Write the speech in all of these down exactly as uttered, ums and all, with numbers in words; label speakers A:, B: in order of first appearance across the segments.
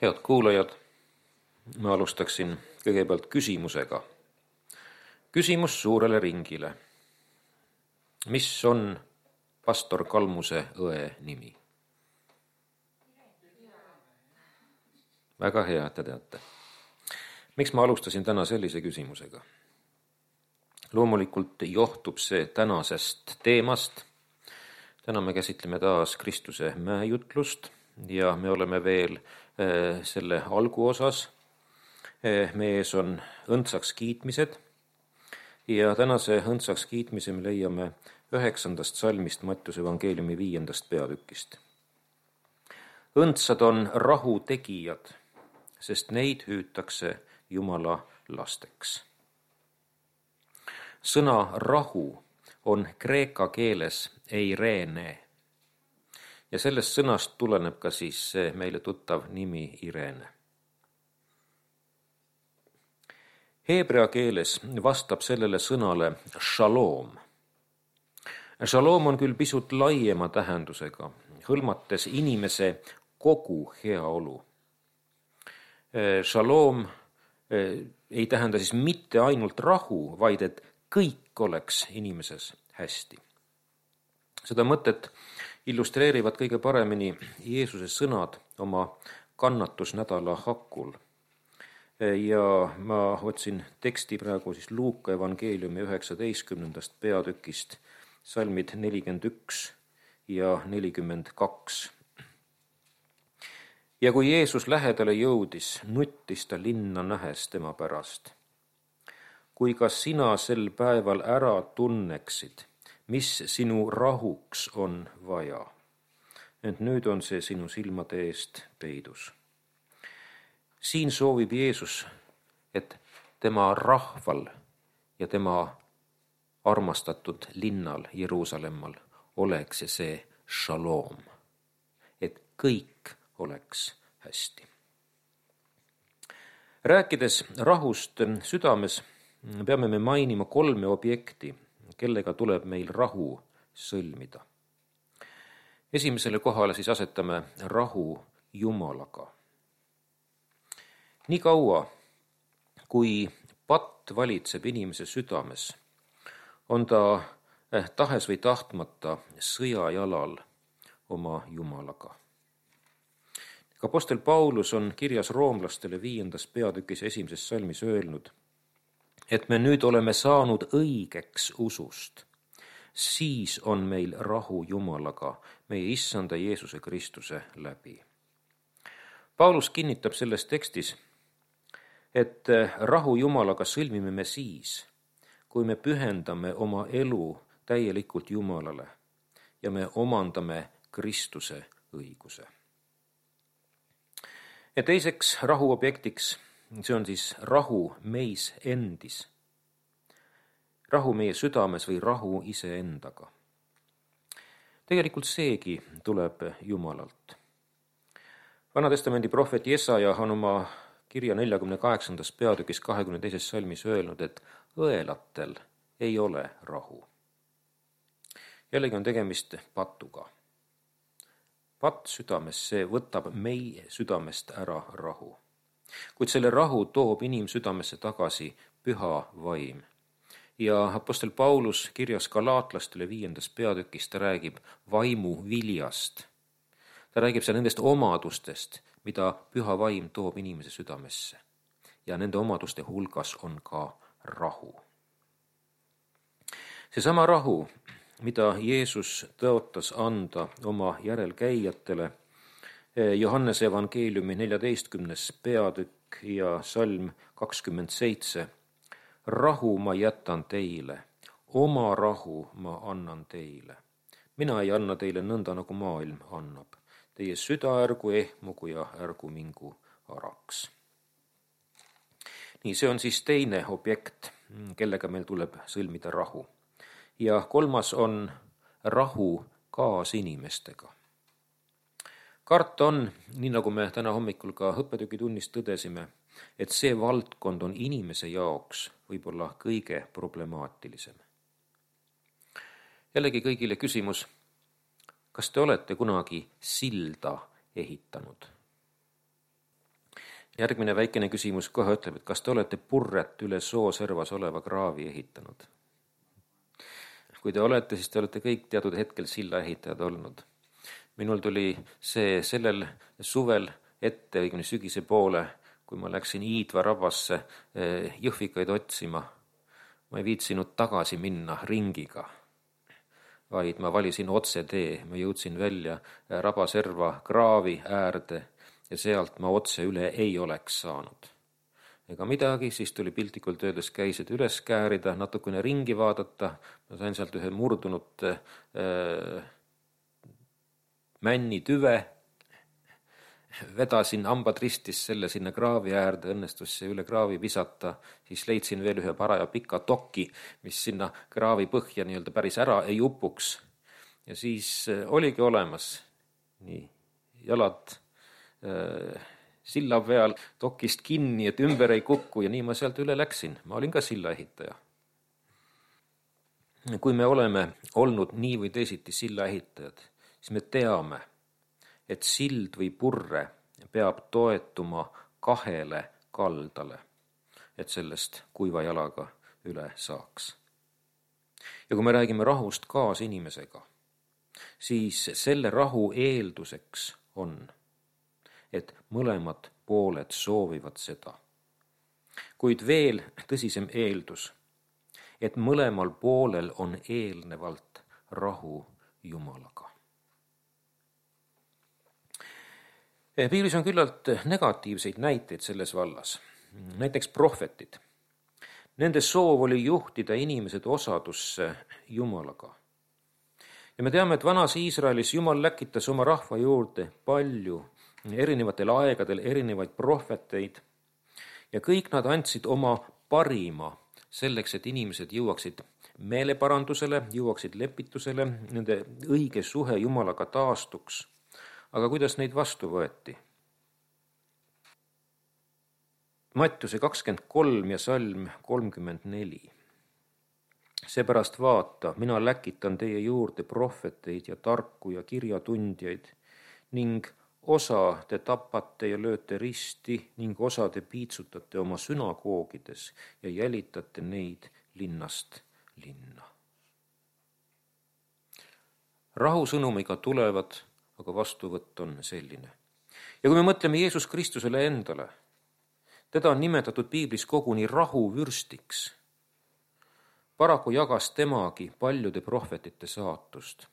A: Head kuulajad, ma alustaksin kõigepealt küsimusega. Küsimus suurele ringile. Mis on pastor Kalmuse õe nimi? Väga hea, et te teate. Miks ma alustasin täna sellise küsimusega? Loomulikult johtub see tänasest teemast. Täna me käsitleme taas Kristuse mäejutlust ja me oleme veel äh, selle alguosas. Äh, meie ees on õndsaks kiitmised ja tänase õndsaks kiitmise me leiame üheksandast salmist Mattiuse evangeeliumi viiendast peatükist. Õndsad on rahu tegijad, sest neid hüütakse Jumala lasteks. Sõna rahu on kreeka keeles eirene ja sellest sõnast tuleneb ka siis see meile tuttav nimi Irene. Heebrea keeles vastab sellele sõnale shalom. Shalom on küll pisut laiema tähendusega, hõlmates inimese kogu heaolu. Shalom ei tähenda siis mitte ainult rahu, vaid et kõik oleks inimeses hästi. Seda mõtet illustreerivad kõige paremini Jeesuse sõnad oma kannatusnädala hakul. Ja ma otsin teksti praegu siis Luuka evangeeliumi üheksateistkümnendast peatükist, salmid nelikümmend üks ja nelikümmend kaks. Ja kui Jeesus lähedale jõudis, nuttis ta linna nähes tema pärast. Kui ka sina sel päeval ära tunneksid, mis sinu rahuks on vaja. Ent nüüd on see sinu silmade eest peidus. Siin soovib Jeesus, et tema rahval ja tema armastatud linnal Jeruusalemmal oleks see shalom, et kõik oleks hästi. Rääkides rahust südames, peame me mainima kolme objekti, kellega tuleb meil rahu sõlmida. Esimesele kohale siis asetame rahu Jumalaga. Nii kaua, kui patt valitseb inimese südames, on ta tahes või tahtmata sõjajalal oma Jumalaga. Apostel Paulus on kirjas roomlastele viiendas peatükis esimeses salmis öelnud, et me nüüd oleme saanud õigeks usust, siis on meil rahu Jumalaga, meie issanda Jeesuse Kristuse läbi. Paulus kinnitab selles tekstis, et rahu Jumalaga sõlmime me siis, kui me pühendame oma elu täielikult Jumalale ja me omandame Kristuse õiguse. Ja teiseks rahu objektiks, see on siis rahu meis endis. Rahu meie südames või rahu iseendaga. Tegelikult seegi tuleb Jumalalt. Vanatestamendi prohvet Jesaja on oma kirja neljakümne kaheksandas peatükis kahekümne teises salmis öelnud, et õelatel ei ole rahu. Jällegi on tegemist patuga. Patt südames, see võtab meie südamest ära rahu. Kuid selle rahu toob inimsüdamesse tagasi püha vaim. Ja apostel Paulus kirjas galaatlastele viiendas peatükis, ta räägib vaimu viljast. Ta räägib seal nendest omadustest, mida püha vaim toob inimese südamesse. Ja nende omaduste hulgas on ka rahu. Seesama rahu, mida Jeesus tõotas anda oma järelkäijatele, Johannese evangeeliumi neljateistkümnes peatükk ja salm kakskümmend seitse. Rahu ma jätan teile, oma rahu ma annan teile. Mina ei anna teile nõnda, nagu maailm annab. Teie süda ärgu ehmugu ja ärgu mingu araks. Nii, see on siis teine objekt, kellega meil tuleb sõlmida rahu. Ja kolmas on rahu kaasinimestega. Kart on, nii nagu me täna hommikul ka õppetükitunnis tõdesime, et see valdkond on inimese jaoks võib-olla kõige problemaatilisem. Jällegi kõigile küsimus, kas te olete kunagi silda ehitanud? järgmine väikene küsimus kohe ütleb, et kas te olete purret üle soo servas oleva kraavi ehitanud? Kui te olete, siis te olete kõik teatud hetkel silla ehitajad olnud. Minul tuli see sellel suvel ette, õigemini sügise poole, kui ma läksin Iidva rabasse jõhvikaid otsima. Ma ei viitsinud tagasi minna ringiga, vaid ma valisin otse tee. Ma jõudsin välja rabaserva kraavi äärde ja sealt ma otse üle ei oleks saanud. Ega midagi, siis tuli piltlikult öeldes käised üles käärida, natukene ringi vaadata. Ma sain sealt ühe murdunud äh, männi tüve, vedasin hambad ristis selle sinna kraavi äärde, õnnestus see üle kraavi visata, siis leidsin veel ühe paraja pika toki, mis sinna kraavi põhja nii-öelda päris ära ei upuks. Ja siis oligi olemas nii jalad äh, silla peal dokist kinni, et ümber ei kukku ja nii ma sealt üle läksin. Ma olin ka silla ehitaja. Kui me oleme olnud nii või teisiti silla ehitajad, siis me teame, et sild või purre peab toetuma kahele kaldale, et sellest kuiva jalaga üle saaks. Ja kui me räägime rahust kaasinimesega, siis selle rahu eelduseks on, et mõlemad pooled soovivad seda. Kuid veel tõsisem eeldus, et mõlemal poolel on eelnevalt rahu Jumalaga. Piiblis on küllalt negatiivseid näiteid selles vallas. Näiteks prohvetid. Nende soov oli juhtida inimesed osadusse Jumalaga. Ja me teame, et vanas Iisraelis Jumal läkitas oma rahva juurde palju erinevatel aegadel erinevaid prohveteid ja kõik nad andsid oma parima selleks, et inimesed jõuaksid meeleparandusele, jõuaksid lepitusele, nende õige suhe Jumalaga taastuks. Aga kuidas neid vastu võeti? Mattiuse kakskümmend kolm ja salm kolmkümmend neli. Seepärast vaata, mina läkitan teie juurde prohveteid ja tarku ja kirjatundjaid ning osa te tapate ja lööte risti ning osa te piitsutate oma sünagoogides ja jälitate neid linnast linna. Rahusõnumiga tulevad, aga vastuvõtt on selline. Ja kui me mõtleme Jeesus Kristusele endale, teda on nimetatud Piiblis koguni rahuvürstiks. Paraku jagas temagi paljude prohvetite saatust,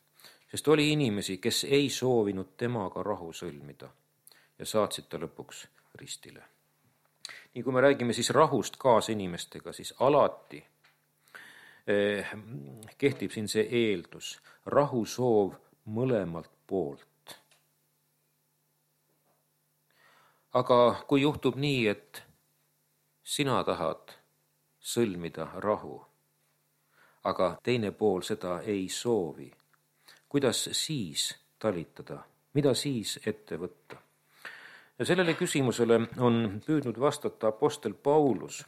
A: sest oli inimesi, kes ei soovinud temaga rahu sõlmida ja saatsid ta lõpuks ristile. Nii kui me räägime siis rahust kaasinimestega, siis alati eh, kehtib siin see eeldus, rahusoov mõlemalt poolt. Aga kui juhtub nii, et sina tahad sõlmida rahu, aga teine pool seda ei soovi, kuidas siis talitada, mida siis ette võtta? Ja sellele küsimusele on püüdnud vastata apostel Paulus,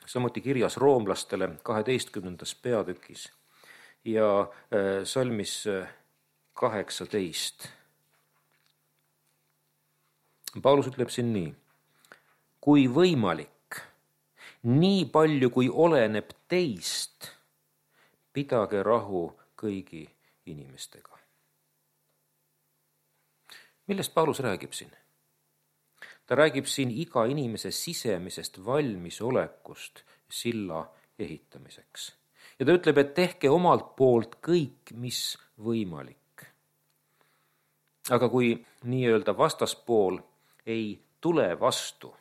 A: samuti kirjas roomlastele kaheteistkümnendas peatükis ja salmis kaheksateist. Paulus ütleb siin nii, kui võimalik, nii palju kui oleneb teist, pidage rahu kõigi inimestega. Millest Paulus räägib siin? Ta räägib siin iga inimese sisemisest valmisolekust silla ehitamiseks. Ja ta ütleb, et tehke omalt poolt kõik, mis võimalik. Aga kui nii-öelda vastaspool ei tule vastu,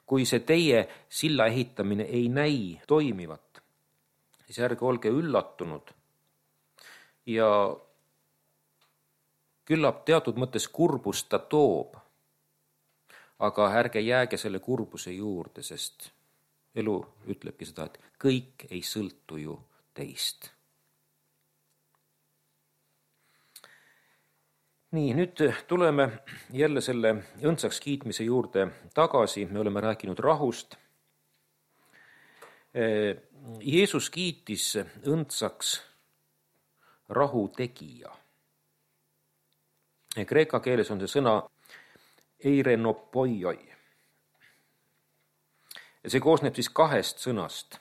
A: kui see teie silla ehitamine ei näi toimivat, siis ärge olge üllatunud ja küllap teatud mõttes kurbust ta toob, aga ärge jääge selle kurbuse juurde, sest elu ütlebki seda, et kõik ei sõltu ju teist. Nii, nüüd tuleme jälle selle õndsaks kiitmise juurde tagasi. Me oleme rääkinud rahust. Jeesus kiitis õndsaks rahu tegija. Kreeka keeles on see sõna eirenopoioi. Ja see koosneb siis kahest sõnast.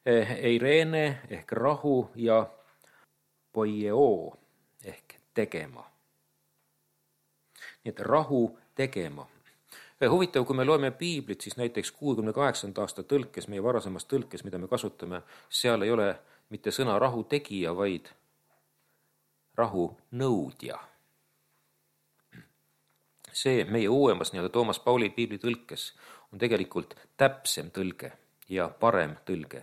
A: Eirene ehk rahu ja poieo ehk tegema. Nii et rahu tegema. Huvitav, kui me loeme piiblit, siis näiteks kuuekümne kaheksanda aasta tõlkes, meie varasemas tõlkes, mida me kasutame, seal ei ole mitte sõna rahu tegija, vaid rahu nõudja. See meie uuemas nii-öelda Toomas Pauli piibli tõlkes on tegelikult täpsem tõlge ja parem tõlge.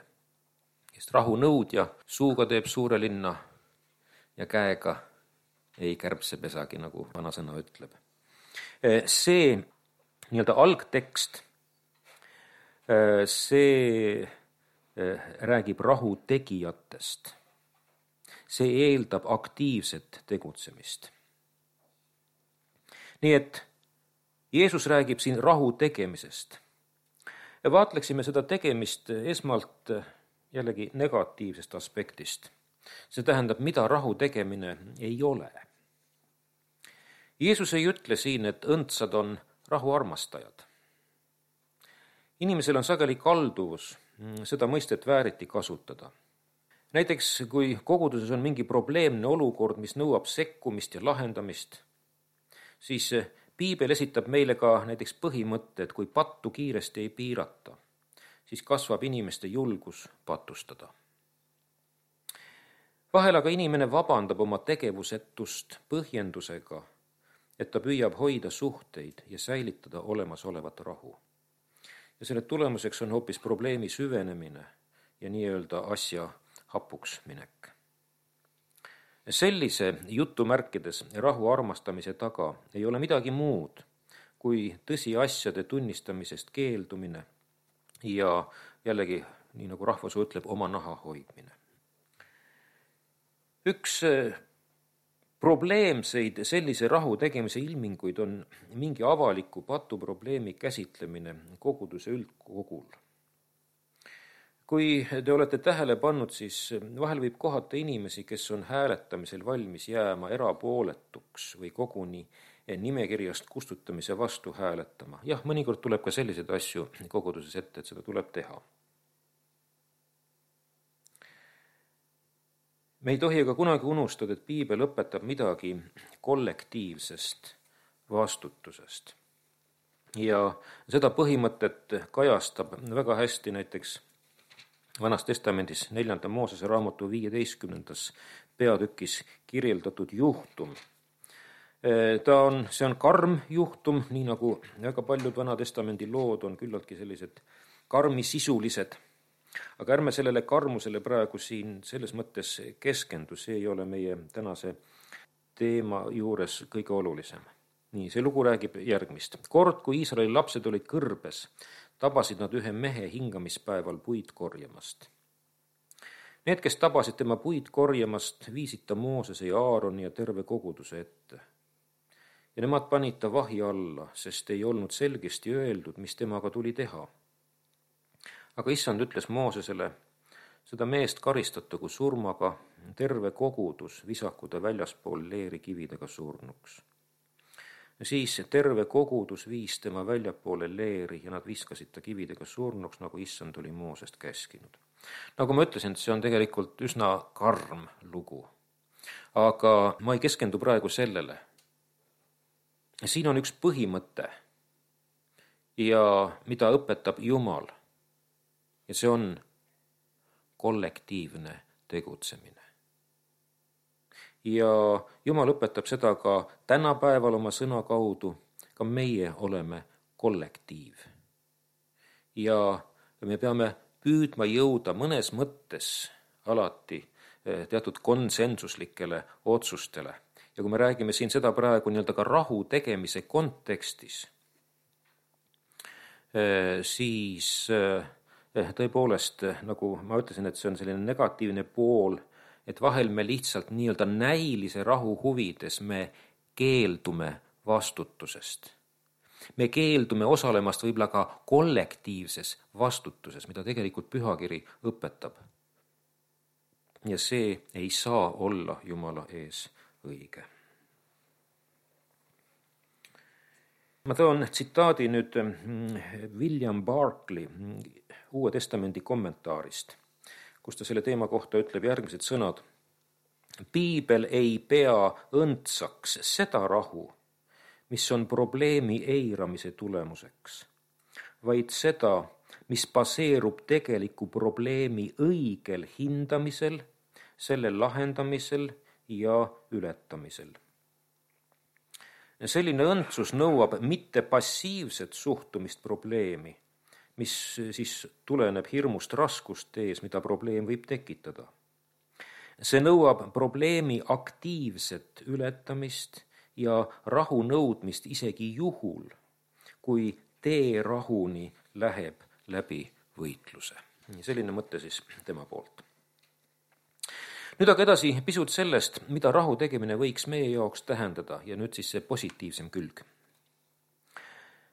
A: Sest rahu nõudja suuga teeb suure linna ja käega ei kärbse pesagi, nagu vanasõna ütleb. See nii-öelda algtekst, see räägib rahu tegijatest. See eeldab aktiivset tegutsemist. Nii et Jeesus räägib siin rahu tegemisest. Vaatleksime seda tegemist esmalt jällegi negatiivsest aspektist. See tähendab, mida rahu tegemine ei ole. Jeesus ei ütle siin, et õndsad on rahu armastajad. Inimesel on sageli kalduvus seda mõistet vääriti kasutada. Näiteks, kui koguduses on mingi probleemne olukord, mis nõuab sekkumist ja lahendamist, siis piibel esitab meile ka näiteks põhimõtte, et kui pattu kiiresti ei piirata, siis kasvab inimeste julgus patustada. Vahel aga inimene vabandab oma tegevusetust põhjendusega, et ta püüab hoida suhteid ja säilitada olemasolevat rahu. Ja selle tulemuseks on hoopis probleemi süvenemine ja nii-öelda asja hapuks minek. Sellise jutumärkides rahu armastamise taga ei ole midagi muud kui tõsiasjade tunnistamisest keeldumine ja jällegi, nii nagu rahvasuu ütleb, oma naha hoidmine. Üks probleemseid sellise rahu tegemise ilminguid on mingi avaliku patuprobleemi käsitlemine koguduse üldkogul. Kui te olete tähele pannud, siis vahel võib kohata inimesi, kes on hääletamisel valmis jääma erapooletuks või koguni nimekirjast kustutamise vastu hääletama. Jah, mõnikord tuleb ka selliseid asju koguduses ette, et seda tuleb teha. Me ei tohi aga kunagi unustada, et piibel õpetab midagi kollektiivsest vastutusest. Ja seda põhimõtet kajastab väga hästi näiteks Vanas testamendis neljanda Moosese raamatu viieteistkümnendas peatükis kirjeldatud juhtum. Ta on, see on karm juhtum, nii nagu väga paljud Vana testamendi lood on küllaltki sellised karmisisulised. Aga ärme sellele karmusele praegu siin selles mõttes keskendu, see ei ole meie tänase teema juures kõige olulisem. Nii, see lugu räägib järgmist. Kord, kui Iisraeli lapsed olid kõrbes, tabasid nad ühe mehe hingamispäeval puid korjamast. Need, kes tabasid tema puid korjamast, viisid ta Moosese ja Aaroni ja terve koguduse ette. Ja nemad panid ta vahi alla, sest ei olnud selgesti öeldud, mis temaga tuli teha. Aga issand ütles Moosesele, seda meest karistatagu surmaga, terve kogudus visaku ta väljaspool leeri kividega surnuks. Ja siis terve kogudus viis tema väljapoole leeri ja nad viskasid ta kividega surnuks, nagu issand oli Moosest käskinud. Nagu ma ütlesin, see on tegelikult üsna karm lugu. Aga ma ei keskendu praegu sellele. Siin on üks põhimõte ja mida õpetab Jumal. Ja see on kollektiivne tegutsemine. Ja Jumal õpetab seda ka tänapäeval oma sõna kaudu, ka meie oleme kollektiiv. Ja me peame püüdma jõuda mõnes mõttes alati teatud konsensuslikele otsustele. Ja kui me räägime siin seda praegu nii-öelda ka rahu tegemise kontekstis, siis tõepoolest, nagu ma ütlesin, et see on selline negatiivne pool, et vahel me lihtsalt nii-öelda näilise rahu huvides me keeldume vastutusest. Me keeldume osalemast võib-olla ka kollektiivses vastutuses, mida tegelikult pühakiri õpetab. Ja see ei saa olla Jumala ees õige. Ma toon tsitaadi nüüd William Barclay Uue Testamendi kommentaarist, kus ta selle teema kohta ütleb järgmised sõnad. Piibel ei pea õndsaks seda rahu, mis on probleemi eiramise tulemuseks, vaid seda, mis baseerub tegeliku probleemi õigel hindamisel, selle lahendamisel ja ületamisel. Selline õndsus nõuab mitte passiivset suhtumist probleemi, mis siis tuleneb hirmust raskust ees, mida probleem võib tekitada. See nõuab probleemi aktiivset ületamist ja rahu nõudmist isegi juhul, kui tee rahuni läheb läbi võitluse. Selline mõte siis tema poolt. Nüüd aga edasi pisut sellest, mida rahu tegemine võiks meie jaoks tähendada ja nüüd siis see positiivsem külg.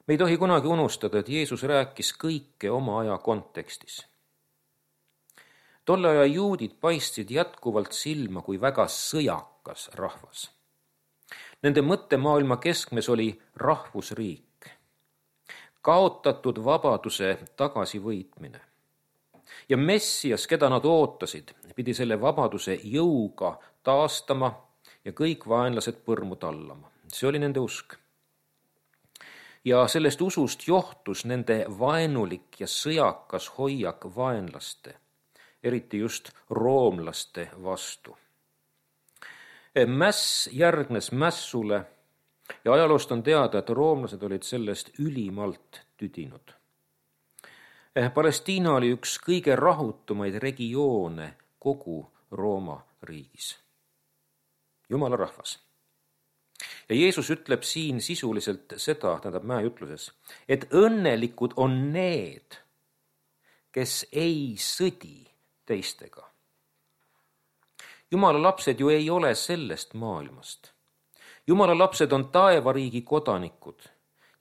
A: Me ei tohi kunagi unustada, et Jeesus rääkis kõike oma aja kontekstis. Tolle aja juudid paistsid jätkuvalt silma kui väga sõjakas rahvas. Nende mõttemaailma keskmes oli rahvusriik, kaotatud vabaduse tagasivõitmine. Ja Messias, keda nad ootasid, pidi selle vabaduse jõuga taastama ja kõik vaenlased põrmu tallama. See oli nende usk. Ja sellest usust johtus nende vaenulik ja sõjakas hoiak vaenlaste, eriti just roomlaste vastu. Mäss järgnes mässule ja ajaloost on teada, et roomlased olid sellest ülimalt tüdinud. Palestiina oli üks kõige rahutumaid regioone kogu Rooma riigis. Jumala rahvas. Ja Jeesus ütleb siin sisuliselt seda, tähendab mäejutluses, et õnnelikud on need, kes ei sõdi teistega. Jumala lapsed ju ei ole sellest maailmast. Jumala lapsed on taevariigi kodanikud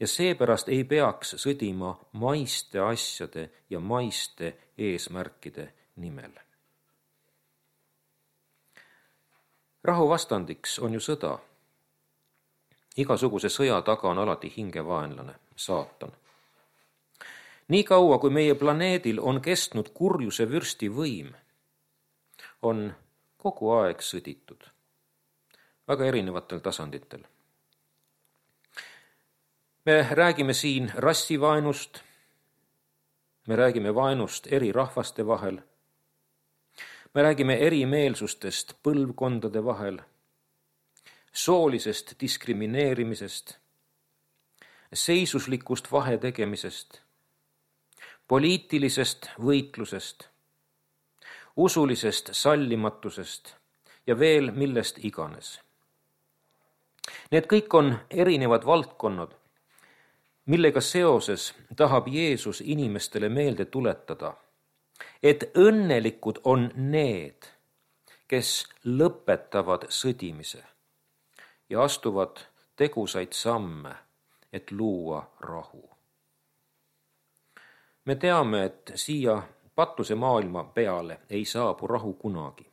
A: ja seepärast ei peaks sõdima maiste asjade ja maiste eesmärkide nimel. Rahu vastandiks on ju sõda. Igasuguse sõja taga on alati hingevaenlane, saatan. Nii kaua, kui meie planeedil on kestnud kurjuse vürsti võim, on kogu aeg sõditud, väga erinevatel tasanditel. Me räägime siin rassivaenust, me räägime vaenust eri rahvaste vahel, me räägime erimeelsustest põlvkondade vahel, soolisest diskrimineerimisest, seisuslikust vahetegemisest, poliitilisest võitlusest, usulisest sallimatusest ja veel millest iganes. Need kõik on erinevad valdkonnad, millega seoses tahab Jeesus inimestele meelde tuletada, et õnnelikud on need, kes lõpetavad sõdimise ja astuvad tegusaid samme, et luua rahu. Me teame, et siia patuse maailma peale ei saabu rahu kunagi.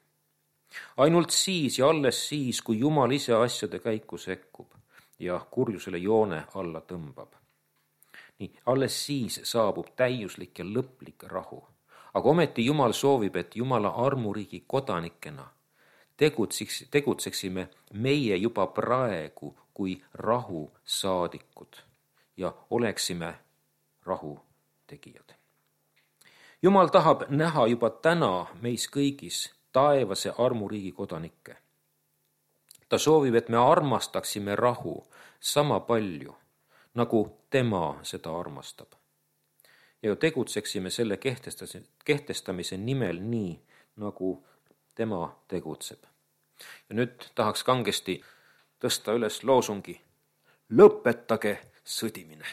A: Ainult siis ja alles siis, kui Jumal ise asjade käiku sekkub ja kurjusele joone alla tõmbab. Nii, alles siis saabub täiuslik ja lõplik rahu. Aga ometi Jumal soovib, et Jumala armuriigi kodanikena tegutseks, tegutseksime meie juba praegu kui rahu saadikud ja oleksime rahu tegijad. Jumal tahab näha juba täna meis kõigis taevase armuriigi kodanikke. Ta soovib, et me armastaksime rahu sama palju, nagu tema seda armastab. Ja tegutseksime selle kehtestamise nimel nii, nagu tema tegutseb. Ja nüüd tahaks kangesti tõsta üles loosungi: lõpetage sõdimine.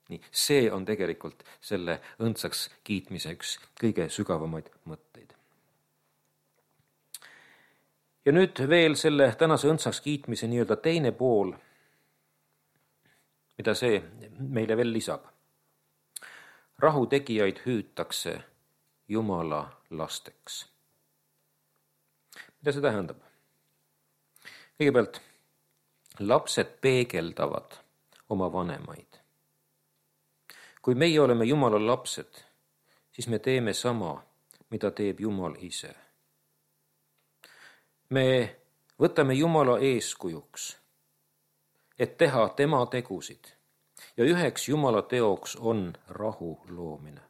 A: Nii, see on tegelikult selle õndsaks kiitmise üks kõige sügavamaid mõtteid. Ja nüüd veel selle tänase õndsaks kiitmise nii-öelda teine pool, mida see meile veel lisab. Rahu tegijaid hüütakse Jumala lasteks. Mida see tähendab? Kõigepealt, lapsed peegeldavad oma vanemaid. kui meie oleme Jumala lapsed, siis me teeme sama, mida teeb Jumal ise. me võtame Jumala eeskujuks, et teha tema tegusid ja üheks Jumala teoks on rahu loomine.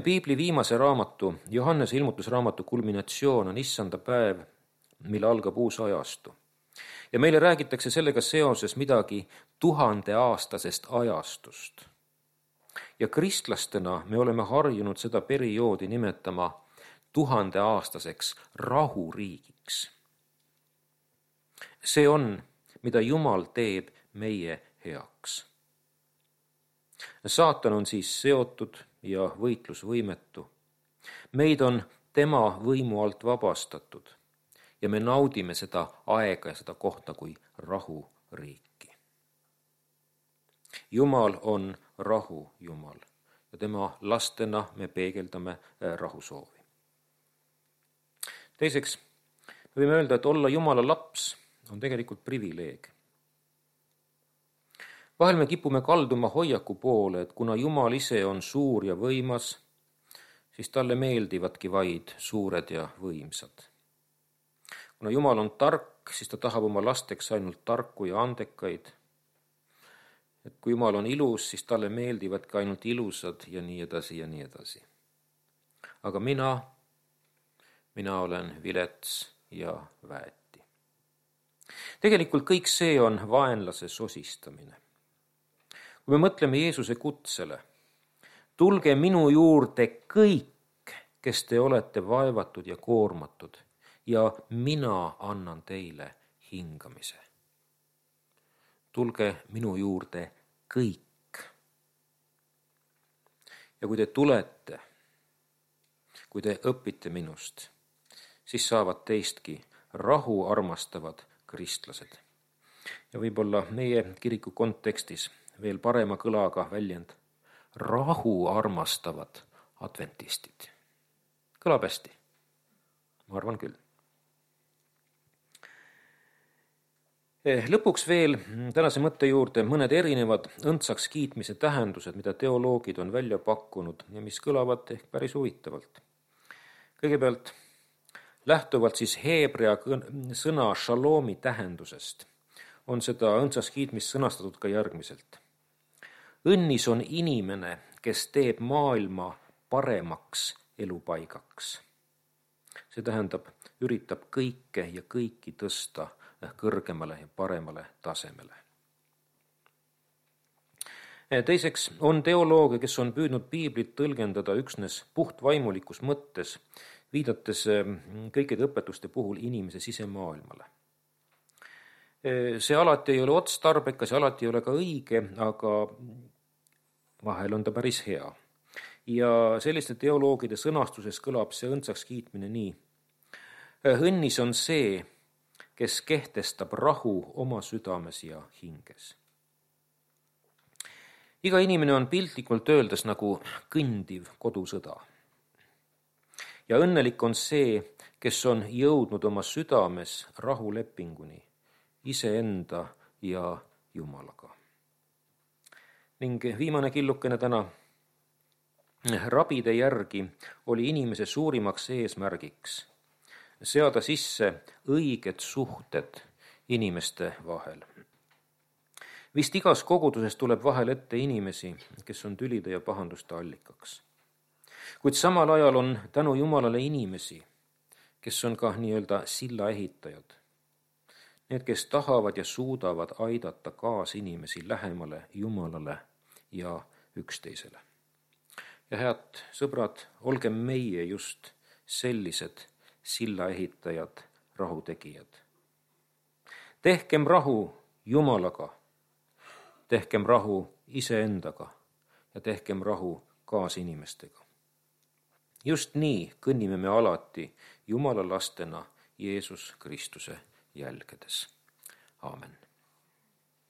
A: Piibli viimase raamatu, Johannese ilmutusraamatu kulminatsioon on issanda päev, mille algab uus ajastu. Ja meile räägitakse sellega seoses midagi tuhandeaastasest ajastust. Ja kristlastena me oleme harjunud seda perioodi nimetama tuhandeaastaseks rahuriigiks. See on, mida Jumal teeb meie heaks. Saatan on siis seotud ja võitlusvõimetu. Meid on tema võimu alt vabastatud ja me naudime seda aega ja seda kohta kui rahuriiki. Jumal on rahu Jumal ja tema lastena me peegeldame rahusoovi. Teiseks, me võime öelda, et olla Jumala laps on tegelikult privileeg. Vahel me kipume kalduma hoiaku poole, et kuna Jumal ise on suur ja võimas, siis talle meeldivadki vaid suured ja võimsad. Kuna Jumal on tark, siis ta tahab oma lasteks ainult tarku ja andekaid. Et kui Jumal on ilus, siis talle meeldivadki ainult ilusad ja nii edasi ja nii edasi. Aga mina, mina olen vilets ja väeti. Tegelikult kõik see on vaenlase sosistamine. Kui me mõtleme Jeesuse kutsele, tulge minu juurde kõik, kes te olete vaevatud ja koormatud, ja mina annan teile hingamise. Tulge minu juurde kõik. Ja kui te tulete, kui te õpite minust, siis saavad teistki rahu armastavad kristlased. Ja võib-olla meie kiriku kontekstis veel parema kõlaga väljend rahu armastavad adventistid. Kõlab hästi? Ma arvan küll. Lõpuks veel tänase mõtte juurde mõned erinevad õndsaks kiitmise tähendused, mida teoloogid on välja pakkunud ja mis kõlavad ehk päris huvitavalt. Kõigepealt lähtuvalt siis heebrea sõna šalomi tähendusest on seda õndsaks kiitmist sõnastatud ka järgmiselt. Õnnis on inimene, kes teeb maailma paremaks elupaigaks. See tähendab, üritab kõike ja kõiki tõsta kõrgemale ja paremale tasemele. Teiseks on teolooge, kes on püüdnud piiblit tõlgendada üksnes puhtvaimulikus mõttes, viidates kõikide õpetuste puhul inimese sisemaailmale. See alati ei ole otstarbekas ja alati ei ole ka õige, aga vahel on ta päris hea. Ja selliste teoloogide sõnastuses kõlab see õndsaks kiitmine nii. Õnnis on see, kes kehtestab rahu oma südames ja hinges. Iga inimene on piltlikult öeldes nagu kõndiv kodusõda. Ja õnnelik on see, kes on jõudnud oma südames rahulepinguni iseenda ja Jumalaga. Ning viimane killukene täna. Rabide järgi oli inimese suurimaks eesmärgiks seada sisse õiged suhted inimeste vahel. Vist igas koguduses tuleb vahel ette inimesi, kes on tülide ja pahanduste allikaks. Kuid samal ajal on tänu Jumalale inimesi, kes on ka nii-öelda silla ehitajad. Need, kes tahavad ja suudavad aidata kaas inimesi lähemale Jumalale ja üksteisele. Ja head sõbrad, olge meie just sellised silla ehitajad, rahutegijad. Tehkem rahu Jumalaga, tehkem rahu iseendaga ja tehkem rahu kaasinimestega. Just nii kõnnime me alati Jumala lastena Jeesus Kristuse jälgedes. Aamen.